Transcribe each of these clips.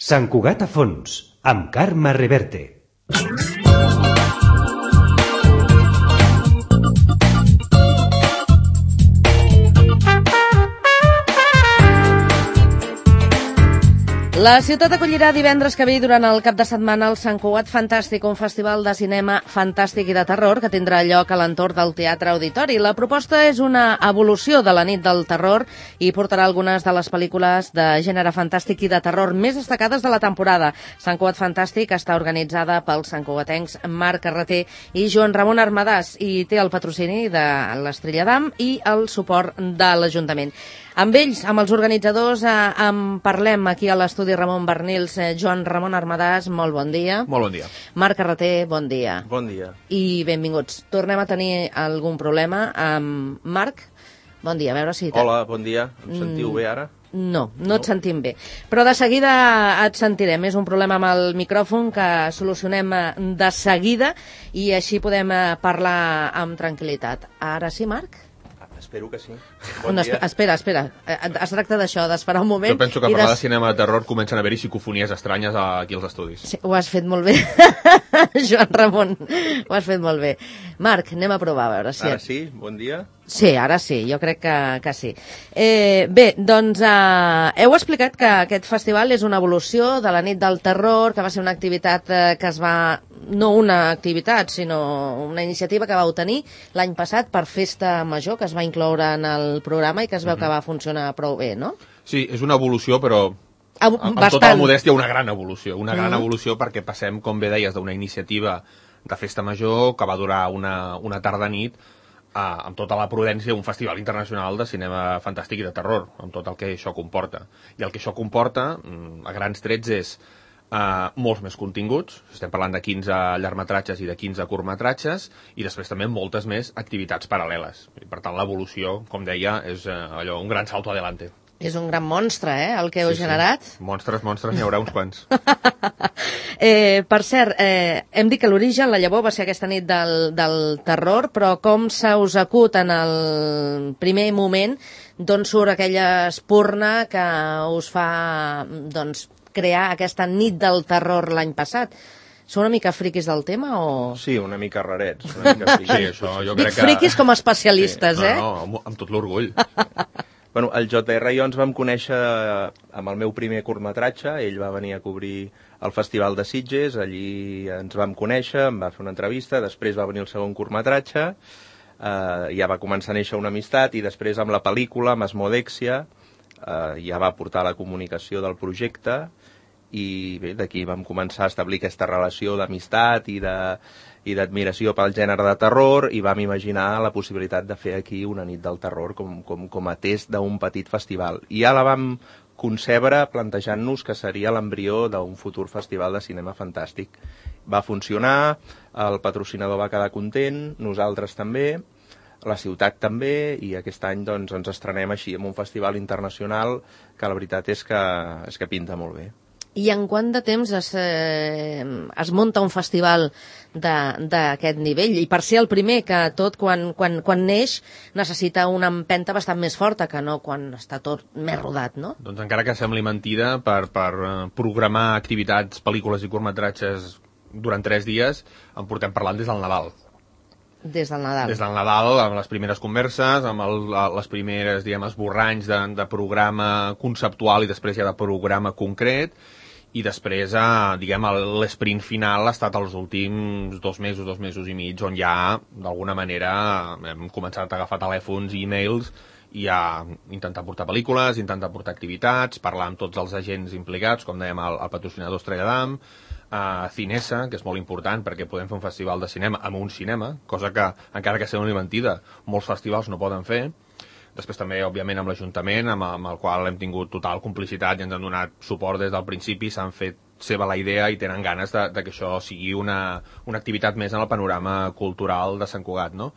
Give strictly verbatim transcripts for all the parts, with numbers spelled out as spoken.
Sant Cugat a fons, amb Carme Reverte. La ciutat acollirà divendres que ve durant el cap de setmana el Sant Cugat Fantàstic, un festival de cinema fantàstic i de terror que tindrà lloc a l'entorn del Teatre Auditori. La proposta és una evolució de la nit del terror i portarà algunes de les pel·lícules de gènere fantàstic i de terror més destacades de la temporada. Sant Cugat Fantàstic està organitzada pels santcugatencs Marc Carreter i Joan Ramon Armadàs i té el patrocini de l'Estrella d'Am i el suport de l'Ajuntament. Amb ells, amb els organitzadors, eh, en parlem aquí a l'estudi Ramon Bernils. Eh, Joan Ramon Armadàs, molt bon dia. Molt bon dia. Marc Carreter, bon dia. Bon dia. I benvinguts. Tornem a tenir algun problema amb Marc. Bon dia, a veure si... Hola, bon dia. Em sentiu mm, bé ara? No, no, no et sentim bé. Però de seguida et sentirem. És un problema amb el micròfon que solucionem de seguida i així podem parlar amb tranquil·litat. Ara sí, Marc? Espero que sí. Bon no, dia. Espera, espera. Es tracta d'això, d'esperar un moment. Jo penso que a parlar de cinema de terror comencen a haver-hi psicofonies estranyes aquí als estudis. Sí, ho has fet molt bé, Joan Ramon. Ho has fet molt bé. Marc, anem a provar, a veure si... Ara sí? Bon dia? Sí, ara sí, jo crec que, que sí. Eh, bé, doncs eh, heu explicat que aquest festival és una evolució de la nit del terror, que va ser una activitat eh, que es va... no una activitat, sinó una iniciativa que vau tenir l'any passat per Festa Major, que es va incloure en el programa i que es veu mm-hmm. que va funcionar prou bé, no? Sí, és una evolució, però amb, amb tota la modèstia una gran evolució. Una gran mm-hmm. evolució perquè passem, com bé deies, d'una iniciativa de Festa Major que va durar una, una tarda-nit Uh, amb tota la prudència, un festival internacional de cinema fantàstic i de terror, amb tot el que això comporta. I el que això comporta, a grans trets, és uh, molts més continguts, estem parlant de quinze llargmetratges i de quinze curtmetratges, i després també moltes més activitats paral·leles. I, per tant, l'evolució, com deia, és uh, allò, un gran salto adelante. És un gran monstre, eh, el que heu sí, generat. Sí. Monstres, monstres, n'hi haurà uns quants. eh, per cert, eh, hem dit que l'origen, la llavor, va ser aquesta nit del, del terror, però com se us acut en el primer moment, d'on surt aquella espurna que us fa doncs, crear aquesta nit del terror l'any passat? Són una mica friquis del tema o...? Sí, una mica rarets. Una mica friquis. Sí, això jo Dic crec que... friquis com a especialistes, sí. eh? No, no, amb, amb tot l'orgull. Bueno, el J R i jo ens vam conèixer amb el meu primer curtmetratge. Ell va venir a cobrir el Festival de Sitges, allí ens vam conèixer, em va fer una entrevista, després va venir el segon curtmetratge, eh, ja va començar a néixer una amistat, i després amb la pel·lícula, amb Asmodèxia, eh, ja va portar la comunicació del projecte, i bé, d'aquí vam començar a establir aquesta relació d'amistat i de... i d'admiració pel gènere de terror, i vam imaginar la possibilitat de fer aquí una nit del terror com, com, com a test d'un petit festival. I ja la vam concebre plantejant-nos que seria l'embrió d'un futur festival de cinema fantàstic. Va funcionar, el patrocinador va quedar content, nosaltres també, la ciutat també, i aquest any doncs, ens estrenem així amb un festival internacional que la veritat és que, és que pinta molt bé. I en quant de temps es, eh, es munta un festival d'aquest nivell? I per ser el primer, que tot quan, quan, quan neix necessita una empenta bastant més forta que no quan està tot més rodat, no? Doncs encara que sembli mentida, per, per programar activitats, pel·lícules i curtmetratges durant tres dies, en portem parlant des del Nadal. Des del Nadal. Des del Nadal, amb les primeres converses, amb el, les primeres, diguem, esborranys de, de programa conceptual i després ja de programa concret, i després, eh, diguem, l'esprint final ha estat els últims dos mesos, dos mesos i mig, on ja, d'alguna manera, hem començat a agafar telèfons i e-mails i a intentar portar pel·lícules, intentar portar activitats, parlar amb tots els agents implicats, com dèiem, el, el patrocinador Estrella d'Am, a Cinesa, que és molt important perquè podem fer un festival de cinema amb un cinema, cosa que, encara que sigui una mentida, molts festivals no poden fer. Després també, òbviament, amb l'Ajuntament, amb, amb el qual hem tingut total complicitat i ens han donat suport des del principi, s'han fet seva la idea i tenen ganes de, de que això sigui una, una activitat més en el panorama cultural de Sant Cugat, no?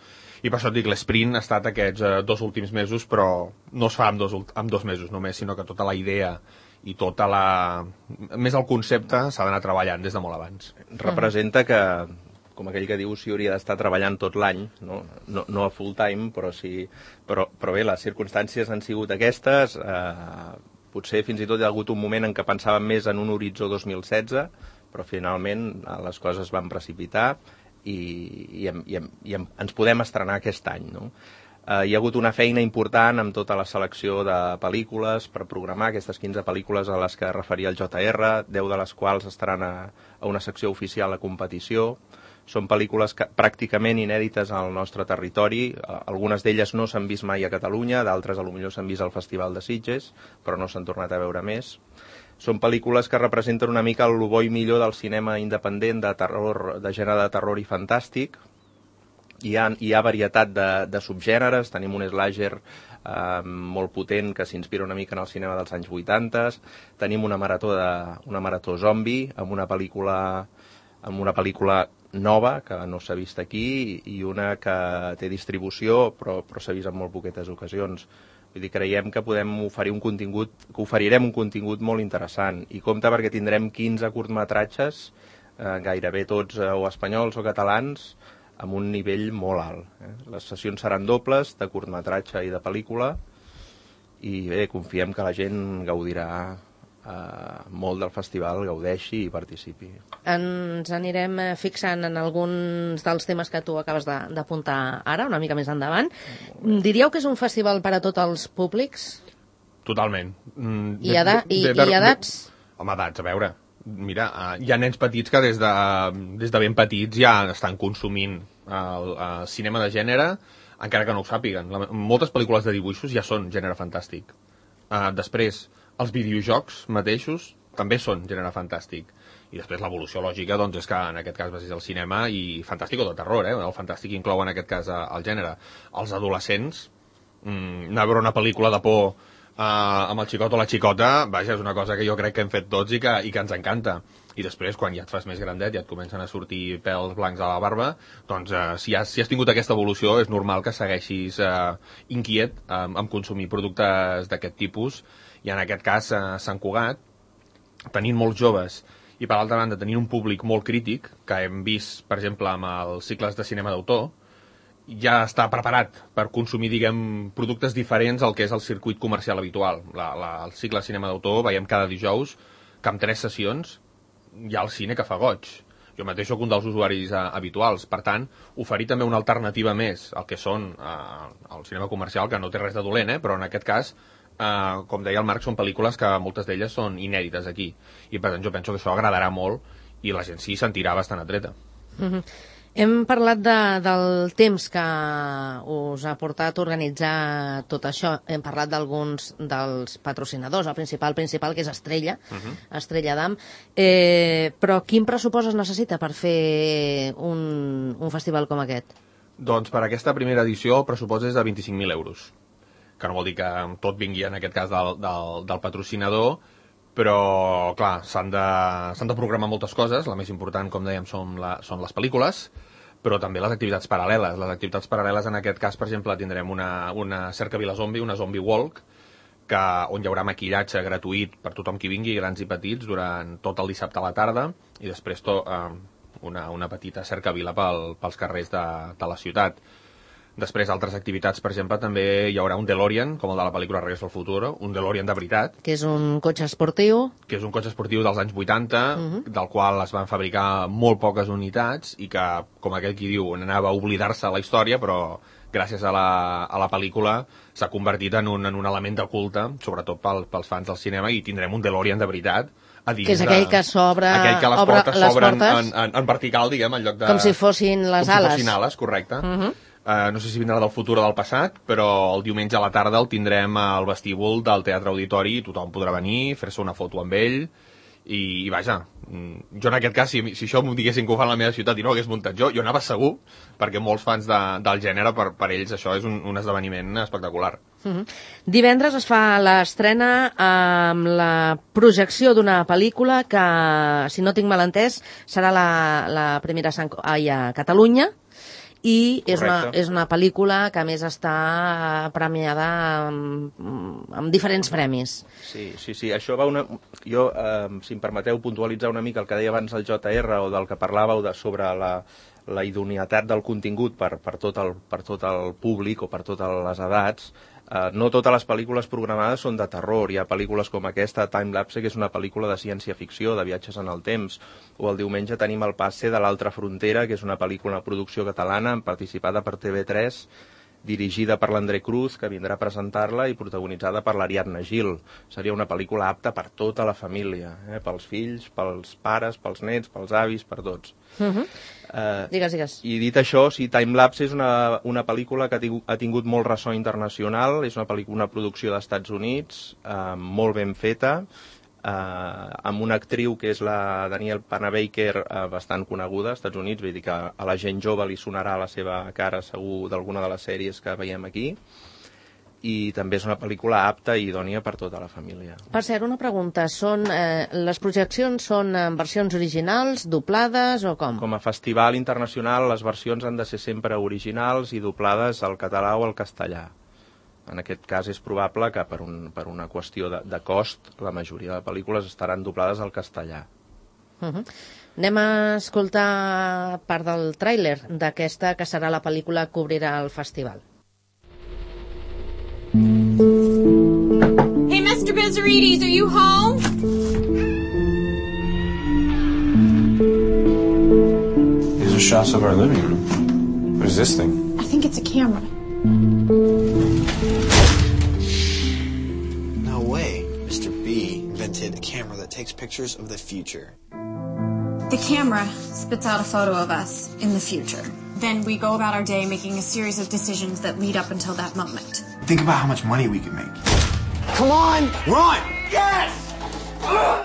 I per això et dic, l'esprint ha estat aquests eh, dos últims mesos, però no es fa en dos, en dos mesos només, sinó que tota la idea i tota la... més el concepte s'ha d'anar treballant des de molt abans. Representa que, com aquell que diu, s'hi hauria d'estar treballant tot l'any, no? No, no a full time, però sí... Però, però bé, les circumstàncies han sigut aquestes, eh, potser fins i tot hi ha hagut un moment en què pensàvem més en un horitzó dos mil setze, però finalment les coses van precipitar i, i, i, i ens podem estrenar aquest any, no? Uh, hi ha hagut una feina important amb tota la selecció de pel·lícules per programar aquestes quinze pel·lícules a les que referia el J R, deu de les quals estaran a, a una secció oficial a competició. Són pel·lícules que, pràcticament inèdites al nostre territori. Uh, algunes d'elles no s'han vist mai a Catalunya, d'altres potser s'han vist al Festival de Sitges, però no s'han tornat a veure més. Són pel·lícules que representen una mica el bo i millor del cinema independent de terror, de gènere de terror i fantàstic. Hi ha, hi ha varietat de, de subgèneres, tenim un slasher eh, molt potent que s'inspira una mica en el cinema dels anys vuitanta, tenim una marató, de, una marató zombi amb una pel·lícula, amb una pel·lícula nova que no s'ha vist aquí i una que té distribució però, però s'ha vist en molt poquetes ocasions. Vull dir, creiem que podem oferir un contingut, que oferirem un contingut molt interessant i compte perquè tindrem quinze curtmetratges, eh, gairebé tots eh, o espanyols o catalans, amb un nivell molt alt. Eh? Les sessions seran dobles, de curtmetratge i de pel·lícula, i bé, confiem que la gent gaudirà eh, molt del festival, gaudeixi i participi. Ens anirem fixant en alguns dels temes que tu acabes d'apuntar ara, una mica més endavant. Diríeu que és un festival per a tots els públics? Totalment. Mm, I, eda i, de, de, i edats? Home, edats, a veure... Mira, uh, hi ha nens petits que des de, des de ben petits ja estan consumint el, el cinema de gènere, encara que no ho sàpiguen. La, moltes pel·lícules de dibuixos ja són gènere fantàstic. Uh, després, els videojocs mateixos també són gènere fantàstic. I després l'evolució lògica doncs, és que en aquest cas és el cinema i fantàstic o de terror, eh? El fantàstic inclou en aquest cas el gènere. Els adolescents, mm, anar a veure una pel·lícula de por Uh, amb el xicot o la xicota, vaja, és una cosa que jo crec que hem fet tots i que, i que ens encanta. I després, quan ja et fas més grandet i ja et comencen a sortir pèls blancs a la barba, doncs uh, si, has, si has tingut aquesta evolució és normal que segueixis uh, inquiet um, amb consumir productes d'aquest tipus. I en aquest cas, uh, Sant Cugat, tenint molts joves i per l'altra banda tenint un públic molt crític, que hem vist, per exemple, amb els cicles de cinema d'autor, ja està preparat per consumir, diguem, productes diferents al que és el circuit comercial habitual. La, la, el cicle de cinema d'autor veiem cada dijous que amb tres sessions hi ha el cine que fa goig. Jo mateix soc un dels usuaris uh, habituals. Per tant, oferir també una alternativa més al que són uh, el cinema comercial, que no té res de dolent, eh? Però en aquest cas, uh, com deia el Marc, són pel·lícules que moltes d'elles són inèdites aquí. I per tant, jo penso que això agradarà molt i la gent s'hi sentirà bastant atreta. Mm-hmm. Hem parlat de, del temps que us ha portat a organitzar tot això. Hem parlat d'alguns dels patrocinadors, el principal principal, que és Estrella, uh-huh. Estrella d'Am. Eh, però quin pressupost es necessita per fer un, un festival com aquest? Doncs per aquesta primera edició el pressupost és de vint-i-cinc mil euros, que no vol dir que tot vingui en aquest cas del, del, del patrocinador, però, clar, s'han de, s'han de programar moltes coses. La més important, com dèiem, són, la, són les pel·lícules, però també les activitats paral·leles. Les activitats paral·leles, en aquest cas, per exemple, tindrem una, una cercavila zombi, una zombie walk, que, on hi haurà maquillatge gratuït per tothom qui vingui, grans i petits, durant tot el dissabte a la tarda, i després to, eh, una, una petita cercavila pel, pels carrers de, de la ciutat. Després, altres activitats, per exemple, també hi haurà un DeLorean, com el de la pel·lícula Regreso al Futuro, un DeLorean de veritat. Que és un cotxe esportiu. Que és un cotxe esportiu dels anys vuitanta, uh-huh. del qual es van fabricar molt poques unitats i que, com aquell qui diu, anava a oblidar-se la història, però gràcies a la, a la pel·lícula s'ha convertit en un, en un element de culte, sobretot pel, pels fans del cinema, i tindrem un DeLorean de veritat. A dins que és aquell de, que s'obre... Aquell que les obre, portes les s'obren portes, en, en, en vertical, diguem, en lloc de... com si fossin les com ales. Com si fossin ales, correcte. Uh-huh. Uh, no sé si vindrà del futur o del passat, però el diumenge a la tarda el tindrem al vestíbul del Teatre Auditori i tothom podrà venir, fer-se una foto amb ell i, i vaja, jo en aquest cas, si, si això m'ho diguessin que ho fan a la meva ciutat i no ho hagués muntat jo, jo anava segur, perquè molts fans de, del gènere, per, per ells això és un, un esdeveniment espectacular. Uh-huh. Divendres es fa l'estrena amb la projecció d'una pel·lícula que, si no tinc mal entès, serà la, la primera a, ai, a Catalunya, i és una, és una pel·lícula que a més està premiada amb, amb diferents premis. Sí, sí, sí, això va una... Jo, eh, si em permeteu puntualitzar una mica el que deia abans el J R o del que parlàveu de sobre la, la idoneïtat del contingut per, per, tot el, per tot el públic o per totes les edats, Uh, no totes les pel·lícules programades són de terror. Hi ha pel·lícules com aquesta, Time Lapse, que és una pel·lícula de ciència-ficció, de viatges en el temps. O el diumenge tenim El passe de l'altra frontera, que és una pel·lícula de producció catalana, participada per T V tres, dirigida per l'André Cruz, que vindrà a presentar-la, i protagonitzada per l'Ariadna Gil. Seria una pel·lícula apta per tota la família, eh? Pels fills, pels pares, pels nets, pels avis, per tots. Uh -huh. Uh, digues, digues. I dit això, sí, Time Lapse és una, una pel·lícula que ha tingut, ha tingut molt ressò internacional, és una pel·lícula, una producció dels Estats Units, uh, molt ben feta, uh, amb una actriu que és la Danielle Panabaker, uh, bastant coneguda als Estats Units, vull dir que a la gent jove li sonarà la seva cara segur d'alguna de les sèries que veiem aquí, i també és una pel·lícula apta i idònia per tota la família. Per cert, una pregunta. Són, eh, les projeccions són en versions originals, doblades o com? Com a festival internacional, les versions han de ser sempre originals i doblades al català o al castellà. En aquest cas és probable que per, un, per una qüestió de, de cost la majoria de pel·lícules estaran doblades al castellà. Uh -huh. Anem a escoltar part del tràiler d'aquesta que serà la pel·lícula que obrirà el festival. Hey, Mister Bezarides, are you home? These are shots of our living room. What is this thing? I think it's a camera. No way. Mister B invented a camera that takes pictures of the future. The camera spits out a photo of us in the future. Then we go about our day making a series of decisions that lead up until that moment. Think about how much money we could make. Come on, run! Yes!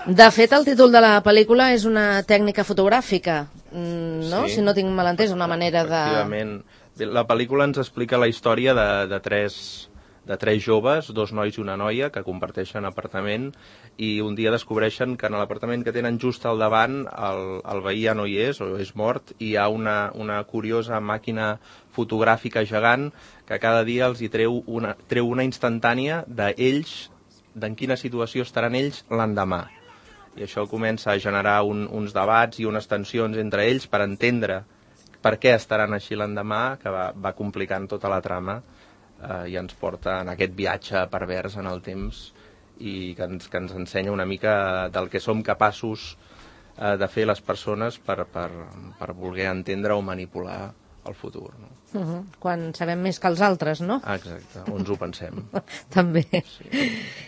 De fet, el títol de la pel·lícula és una tècnica fotogràfica, no? Sí. Si no tinc malentès, una manera de... Efectivament. La pel·lícula ens explica la història de, de, tres, de tres joves, dos nois i una noia, que comparteixen apartament, i un dia descobreixen que en l'apartament que tenen just al davant el, el veí ja no hi és, o és mort, i hi ha una, una curiosa màquina fotogràfica gegant que cada dia els hi treu una, treu una instantània d'ells, d'en quina situació estaran ells l'endemà. I això comença a generar un, uns debats i unes tensions entre ells per entendre per què estaran així l'endemà, que va, va complicant tota la trama eh, i ens porta en aquest viatge pervers en el temps i que ens, que ens ensenya una mica del que som capaços eh, de fer les persones per, per, per voler entendre o manipular el futur. No? Uh -huh. Quan sabem més que els altres, no? Ah, exacte, o ens ho pensem. També. Sí.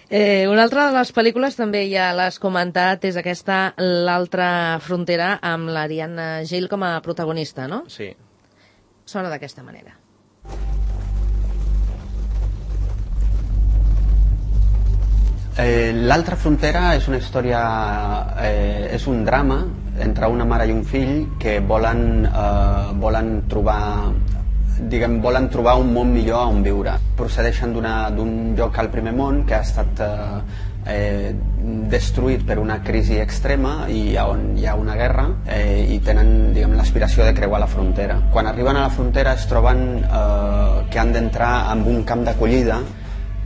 Eh, una altra de les pel·lícules, també ja l'has comentat, és aquesta L'altra frontera, amb l'Ariadna Gil com a protagonista, no? Sí. Sona d'aquesta manera. Eh, L'altra frontera és una història, eh, és un drama entre una mare i un fill que volen, eh, volen trobar diguem, volen trobar un món millor on viure. Procedeixen d'un lloc al primer món que ha estat eh, eh, destruït per una crisi extrema i on hi ha una guerra eh, i tenen l'aspiració de creuar la frontera. Quan arriben a la frontera es troben eh, que han d'entrar en un camp d'acollida,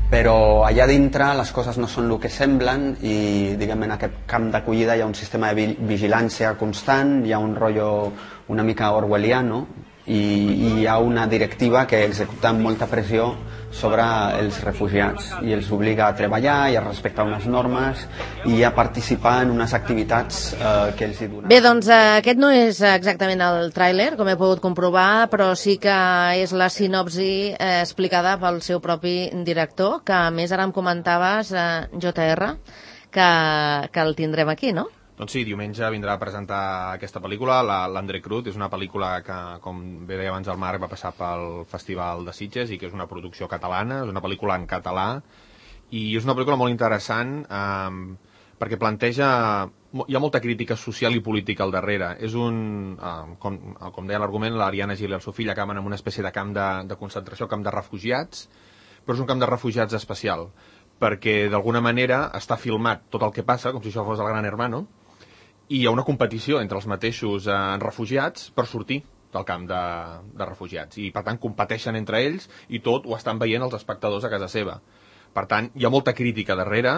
però allà dintre les coses no són el que semblen i diguem, en aquest camp d'acollida hi ha un sistema de vigilància constant, hi ha un rotllo una mica orwelliano i, i hi ha una directiva que executa amb molta pressió sobre els refugiats i els obliga a treballar i a respectar unes normes i a participar en unes activitats eh, que els hi donen. Bé, doncs eh, aquest no és exactament el tràiler, com he pogut comprovar, però sí que és la sinopsi eh, explicada pel seu propi director, que a més ara em comentaves, eh, J R, que, que el tindrem aquí, no? Doncs sí, diumenge vindrà a presentar aquesta pel·lícula, l'André Cruz. És una pel·lícula que, com bé deia abans el Marc, va passar pel Festival de Sitges i que és una producció catalana, és una pel·lícula en català i és una pel·lícula molt interessant eh, perquè planteja... Hi ha molta crítica social i política al darrere. És un... Eh, com, com deia l'argument, l'Ariadna Gil i el seu fill acaben en una espècie de camp de, de concentració, camp de refugiats, però és un camp de refugiats especial perquè d'alguna manera està filmat tot el que passa, com si això fos el Gran Hermano, i hi ha una competició entre els mateixos eh, refugiats per sortir del camp de, de refugiats. I, per tant, competeixen entre ells i tot ho estan veient els espectadors a casa seva. Per tant, hi ha molta crítica darrere,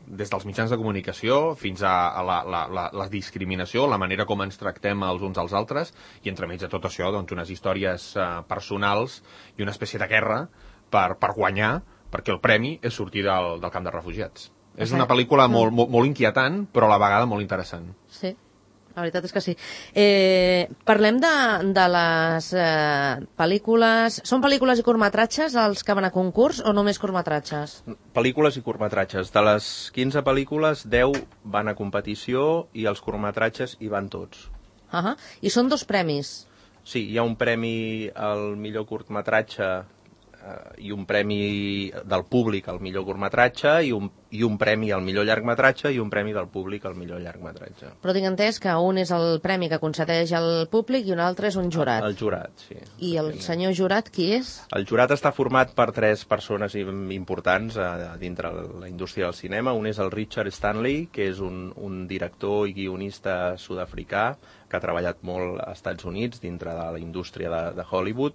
des dels mitjans de comunicació fins a, a la, la, la, la discriminació, la manera com ens tractem els uns als altres, i entremig de tot això, doncs, unes històries eh, personals i una espècie de guerra per, per guanyar, perquè el premi és sortir del, del camp de refugiats. És una pel·lícula molt, molt, molt inquietant, però a la vegada molt interessant. Sí, la veritat és que sí. Eh, parlem de, de les eh, pel·lícules... Són pel·lícules i curtmetratges els que van a concurs o només curtmetratges? Pel·lícules i curtmetratges. De les quinze pel·lícules, deu van a competició i els curtmetratges hi van tots. Uh -huh. I són dos premis? Sí, hi ha un premi al millor curtmetratge i un premi del públic al millor curtmetratge i un, i un premi al millor llargmetratge i un premi del públic al millor llargmetratge. Però tinc entès que un és el premi que concedeix el públic i un altre és un jurat. El, el jurat, sí. I el senyor jurat qui és? El jurat està format per tres persones importants a, a dintre la indústria del cinema. Un és el Richard Stanley, que és un, un director i guionista sud-africà que ha treballat molt als Estats Units dintre de la indústria de, de Hollywood.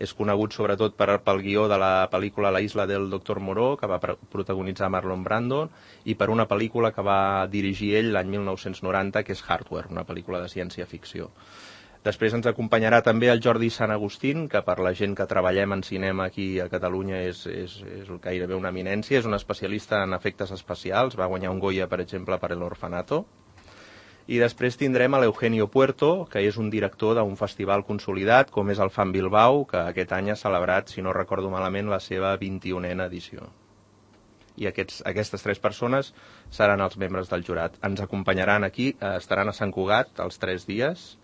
És conegut sobretot per, pel guió de la pel·lícula La isla del doctor Moreau, que va protagonitzar Marlon Brando, i per una pel·lícula que va dirigir ell l'any mil nou-cents noranta, que és Hardware, una pel·lícula de ciència-ficció. Després ens acompanyarà també el Jordi Sant Agustín, que per la gent que treballem en cinema aquí a Catalunya és, és, és gairebé una eminència, és un especialista en efectes especials, va guanyar un Goya, per exemple, per El Orfanato. I després tindrem a l'Eugenio Puerto, que és un director d'un festival consolidat, com és el Fan Bilbao, que aquest any ha celebrat, si no recordo malament, la seva vint-i-unena edició. I aquests, aquestes tres persones seran els membres del jurat. Ens acompanyaran aquí, estaran a Sant Cugat els tres dies,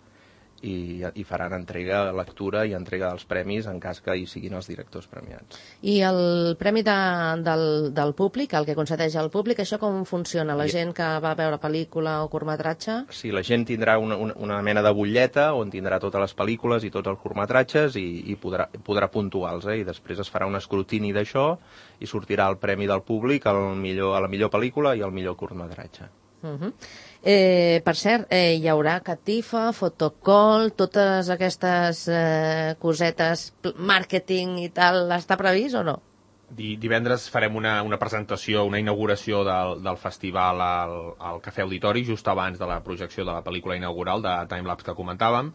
i, i faran entrega, lectura i entrega dels premis en cas que hi siguin els directors premiats. I el premi de, del, del públic, el que concedeix al públic, això com funciona? La gent que va veure pel·lícula o curtmetratge? Sí, la gent tindrà una, una, una mena de butlleta on tindrà totes les pel·lícules i tots els curtmetratges i, i podrà, podrà puntuar-los, eh? I després es farà un escrutini d'això i sortirà el premi del públic al millor, a la millor pel·lícula i al millor curtmetratge. Uh-huh. Eh, per cert, eh, hi haurà catifa, fotocall, totes aquestes eh, cosetes, màrqueting i tal, està previst o no? Divendres farem una, una presentació, una inauguració del, del festival al, al Cafè Auditori, just abans de la projecció de la pel·lícula inaugural de Timelapse que comentàvem,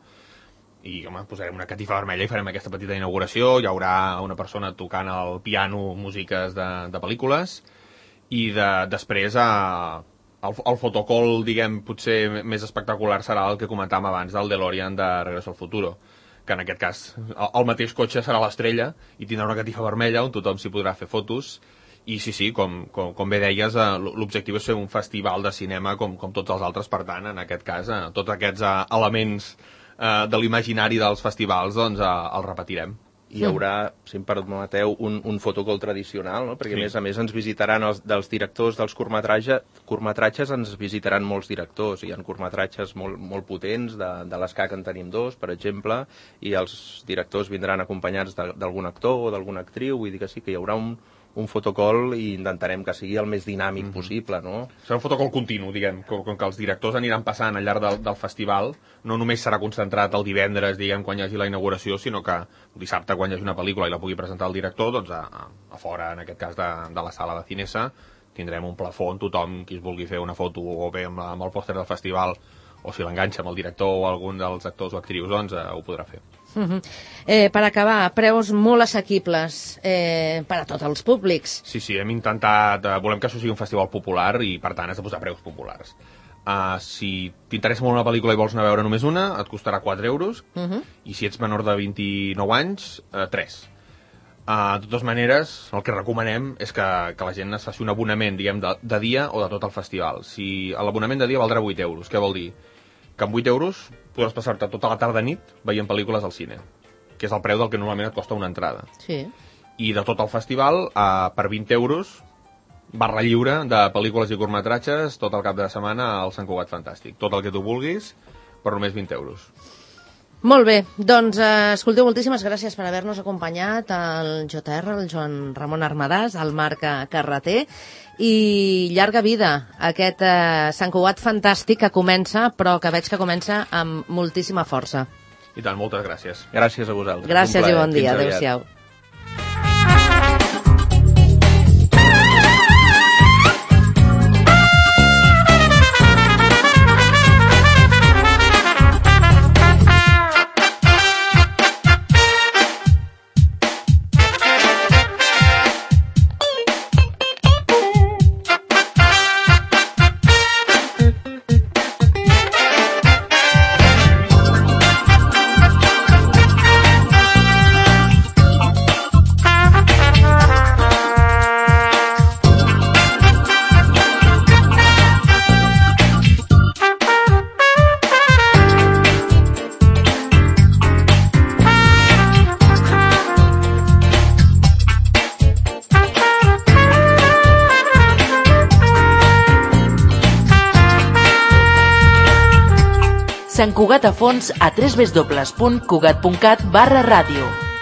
i home, posarem una catifa vermella i farem aquesta petita inauguració. Hi haurà una persona tocant al piano músiques de, de pel·lícules, i de, després a El, el fotocall, diguem, potser més espectacular serà el que comentàvem abans del DeLorean de Regreso al Futuro, que en aquest cas el, el mateix cotxe serà l'estrella i tindrà una catifa vermella on tothom s'hi podrà fer fotos. I sí, sí, com, com, com bé deies, l'objectiu és fer un festival de cinema com, com tots els altres. Per tant, en aquest cas, tots aquests elements eh, de l'imaginari dels festivals, doncs eh, els repetirem. Hi haurà, si em permeteu, un, un fotocall tradicional, no? Perquè sí. a més a més ens visitaran els, dels directors dels curtmetratges, curtmetratges ens visitaran molts directors, hi ha curtmetratges molt, molt potents, de, de l'Esca que en tenim dos, per exemple, i els directors vindran acompanyats d'algun actor o d'alguna actriu, vull dir que sí que hi haurà un, un fotocall i intentarem que sigui el més dinàmic mm-hmm. possible, no? Serà un fotocall continu, diguem, com, com que els directors aniran passant al llarg del, del festival, no només serà concentrat el divendres, diguem, quan hi hagi la inauguració, sinó que el dissabte, quan hi hagi una pel·lícula i la pugui presentar el director, doncs a, a, a fora, en aquest cas, de, de la sala de Cinesa, tindrem un plafó on tothom, qui es vulgui fer una foto o bé amb, amb el pòster del festival, o si l'enganxa amb el director o algun dels actors o actrius, doncs eh, ho podrà fer. Uh-huh. eh, per acabar, preus molt assequibles eh, per a tots els públics. Sí, sí, hem intentat, eh, volem que això sigui un festival popular i per tant has de posar preus populars. Uh, si t'interessa molt una pel·lícula i vols anar a veure només una, et costarà quatre euros, uh-huh. i si ets menor de vint-i-nou anys, uh, tres. Uh, de totes maneres, el que recomanem és que, que la gent es faci un abonament, diguem, de, de dia o de tot el festival. Si l'abonament de dia valdrà vuit euros, què vol dir? Que amb vuit euros podràs passar-te tota la tarda nit veient pel·lícules al cine, que és el preu del que normalment et costa una entrada. Sí. I de tot el festival, uh, per vint euros, barra lliure de pel·lícules i curtmetratges tot el cap de setmana al Sant Cugat Fantàstic. Tot el que tu vulguis, per només vint euros. Molt bé, doncs, eh, escolteu, moltíssimes gràcies per haver-nos acompanyat al J R, el Joan Ramon Armadàs, al Marc Carreter, i llarga vida aquest eh, Sant Cugat Fantàstic que comença, però que veig que comença amb moltíssima força. I tant, moltes gràcies. Gràcies a vosaltres. Gràcies i bon dia, adéu-siau. Sant Cugat a fons a w w w punt cugat punt cat barra ràdio.